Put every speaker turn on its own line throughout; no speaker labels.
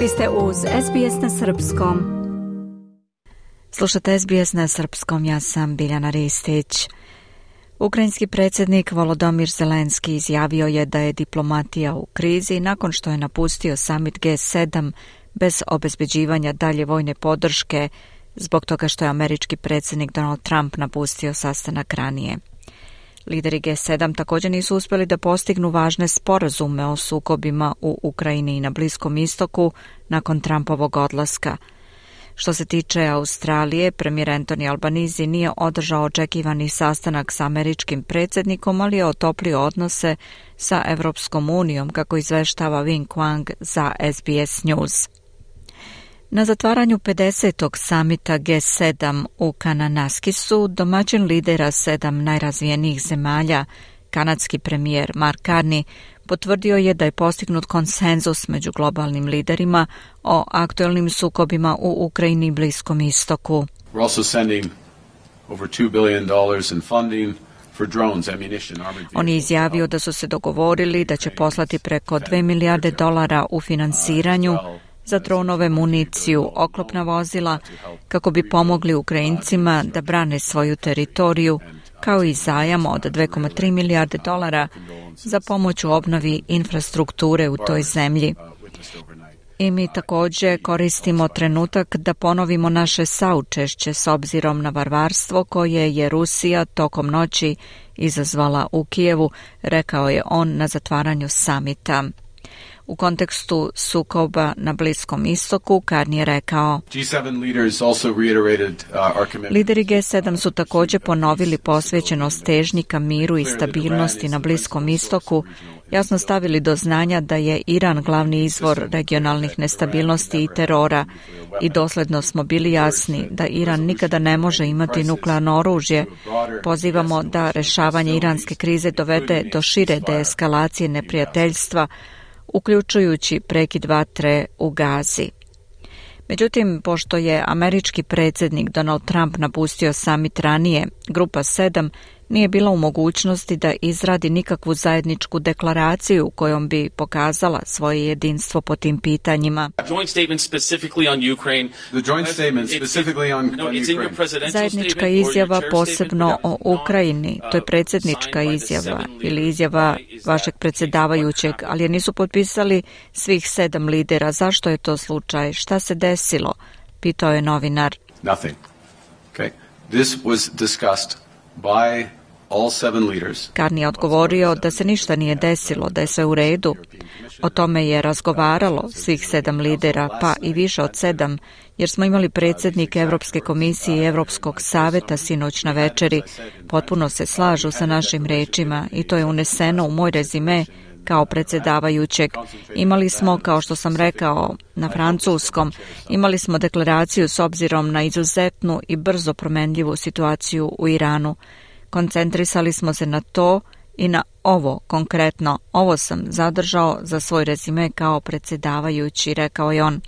Vi ste uz SBS na Srpskom.
Slušate SBS na Srpskom, ja sam Biljana Ristić. Ukrajinski predsjednik Volodymyr Zelenski izjavio je da je diplomatija u krizi nakon što je napustio summit G7 bez obezbeđivanja dalje vojne podrške zbog toga što je američki predsjednik Donald Trump napustio sastanak ranije. Lideri G7 također nisu uspjeli da postignu važne sporazume o sukobima u Ukrajini i na Bliskom istoku nakon Trumpovog odlaska. Što se tiče Australije, premijer Anthony Albanese nije održao očekivani sastanak sa američkim predsjednikom, ali je otoplio odnose sa Evropskom unijom, kako izveštava Wing Quang za SBS News. Na zatvaranju 50. samita G7 u Kananaskisu domaćin lidera 7 najrazvijenijih zemalja, kanadski premijer Mark Carney, potvrdio je da je postignut konsenzus među globalnim liderima o aktuelnim sukobima u Ukrajini i Bliskom istoku.
We're also sending over $2 billion in funding for drones, ammunition, armored vehicles.
On je izjavio da su se dogovorili da će poslati preko $2 milijarde u financiranju za dronove, municiju, oklopna vozila, kako bi pomogli Ukrajincima da brane svoju teritoriju, kao i zajam od $2,3 milijarde za pomoć u obnovi infrastrukture u toj zemlji. I mi također koristimo trenutak da ponovimo naše saučešće s obzirom na varvarstvo koje je Rusija tokom noći izazvala u Kijevu, rekao je on na zatvaranju samita. U kontekstu sukoba na Bliskom istoku, Carney je rekao: Lideri G7 su također ponovili posvećenost težnji ka miru i stabilnosti na Bliskom istoku, jasno stavili do znanja da je Iran glavni izvor regionalnih nestabilnosti i terora i dosljedno smo bili jasni da Iran nikada ne može imati nuklearno oružje. Pozivamo da rješavanje iranske krize dovede do šire deeskalacije neprijateljstva, uključujući prekid vatre u Gazi. Međutim, pošto je američki predsjednik Donald Trump napustio summit ranije, Grupa 7 nije bila u mogućnosti da izradi nikakvu zajedničku deklaraciju kojom bi pokazala svoje jedinstvo po tim pitanjima. Zajednička izjava posebno o Ukrajini, to je predsjednička izjava ili izjava vašeg predsjedavajućeg, ali je nisu potpisali svih 7 lidera. Zašto je to slučaj? Šta se desilo? Pitao je novinar.
Nothing. Okay. This was discussed by all 7 leaders.
Carney je odgovorio da se ništa nije desilo, da je sve u redu. O tome je razgovaralo svih 7 lidera, pa i više od 7, jer smo imali predsjednike Europske komisije i Europskog saveta sinoć na večeri. Potpuno se slažu sa našim rečima i to je uneseno u moj rezime kao predsjedavajućeg. Imali smo, kao što sam rekao na francuskom, imali smo deklaraciju s obzirom na izuzetnu i brzo promenljivu situaciju u Iranu. Koncentrisali smo se na to i na ovo konkretno. Ovo sam zadržao za svoj rezime kao predsjedavajući, rekao je on.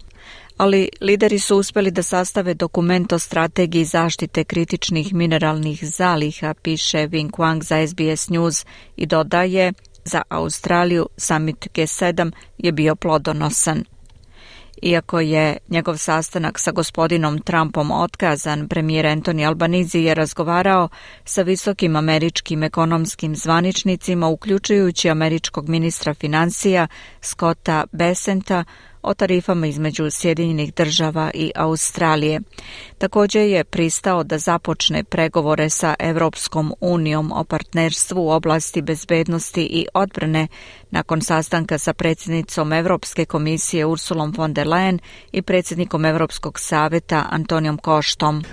Ali lideri su uspjeli da sastave dokument o strategiji zaštite kritičnih mineralnih zaliha, piše Wing Quang za SBS News i dodaje: za Australiju summit G7 je bio plodonosan. Iako je njegov sastanak sa gospodinom Trumpom otkazan, premijer Anthony Albanese je razgovarao sa visokim američkim ekonomskim zvaničnicima, uključujući američkog ministra financija Scotta Bessenta, o tarifama između Sjedinjenih Država i Australije. Također je pristao da započne pregovore sa Evropskom unijom o partnerstvu u oblasti bezbednosti i odbrane nakon sastanka sa predsjednicom Europske komisije Ursulom von der Leyen i predsjednikom Europskog saveta Antonijom Koštom.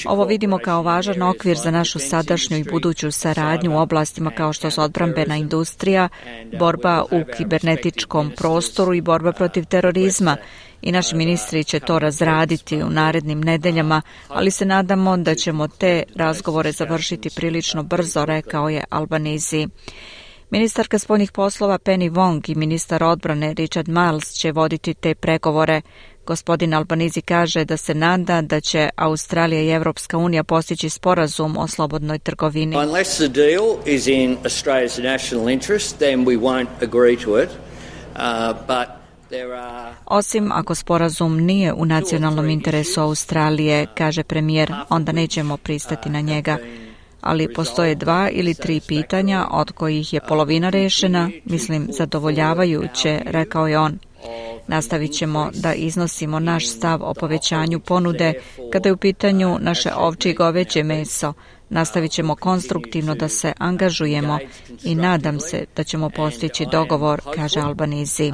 Ovo vidimo kao važan okvir za našu sadašnju i buduću saradnju u oblastima kao što su odbrambena industrija, borba u kibernetičkom prostoru i borba protiv terorizma. I naši ministri će to razraditi u narednim nedeljama, ali se nadamo da ćemo te razgovore završiti prilično brzo, rekao je Albanese. Ministarka spoljnih poslova Penny Wong i ministar odbrane Richard Marles će voditi te pregovore. Gospodin Albanese kaže da se nada da će Australija i Evropska unija postići sporazum o slobodnoj trgovini.
Unless the deal is in Australia's national interest, then we won't agree to it.
Osim ako sporazum nije u nacionalnom interesu Australije, kaže premijer, onda nećemo pristati na njega. Ali postoje 2 ili 3 pitanja od kojih je polovina rešena, mislim zadovoljavajuće, rekao je on. Nastavit ćemo da iznosimo naš stav o povećanju ponude kada je u pitanju naše ovčje i goveđe meso. Nastavit ćemo konstruktivno da se angažujemo i nadam se da ćemo postići dogovor, kaže Albanese.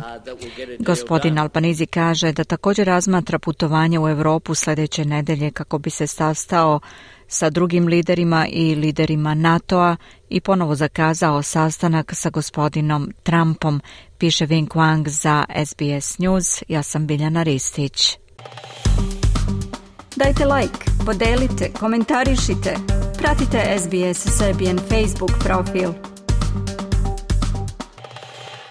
Gospodin Albanese kaže da također razmatra putovanje u Europu sljedeće nedelje kako bi se sastao sa drugim liderima i liderima NATO-a i ponovo zakazao sastanak sa gospodinom Trumpom, piše Vinh Quang za SBS News. Ja sam Biljana Ristić.
Dajte like, podelite, komentarišite. Pratite SBS Serbian Facebook profil.